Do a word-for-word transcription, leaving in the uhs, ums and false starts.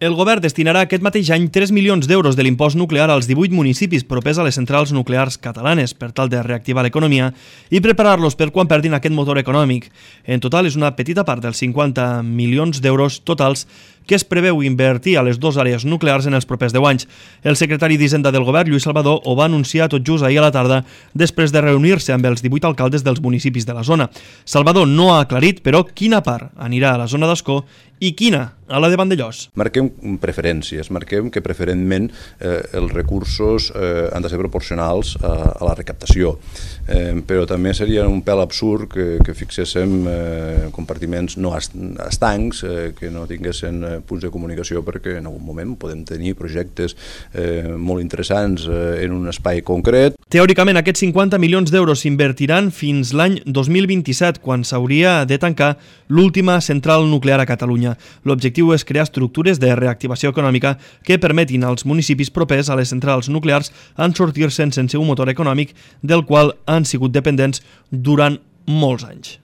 El govern destinarà aquest mateix any tres milions d'euros de l'impost nuclear als divuit municipis propers a les centrals nuclears catalanes per tal de reactivar l'economia i preparar-los per quan perdin aquest motor econòmic. En total és una petita part dels cinquanta milions d'euros totals que es preveu invertir a les dues àrees nuclears en els propers deu anys. El secretari d'Hisenda del govern, Lluís Salvador, ho va anunciar tot just ahir a la tarda després de reunir-se amb els divuit alcaldes dels municipis de la zona. Salvador no ha aclarit, però, quina part anirà a la zona d'Ascó i quina a la de Vandellòs. Marquem preferències, marquem que preferentment eh, els recursos eh, han de ser proporcionals a, a la recaptació, eh, però també seria un pèl absurd que, que fixéssim eh, compartiments no estancs, eh, que no tinguessin eh, punts de comunicació, perquè en algun moment podem tenir projectes eh, molt interessants eh, en un espai concret. Teòricament, aquests cinquanta milions d'euros s'invertiran fins l'any dos mil vint-i-set, quan s'hauria de tancar l'última central nuclear a Catalunya. L'objectiu és crear estructures de reactivació econòmica que permetin als municipis propers a les centrals nuclears en sortir-se'n sense un motor econòmic del qual han sigut dependents durant molts anys.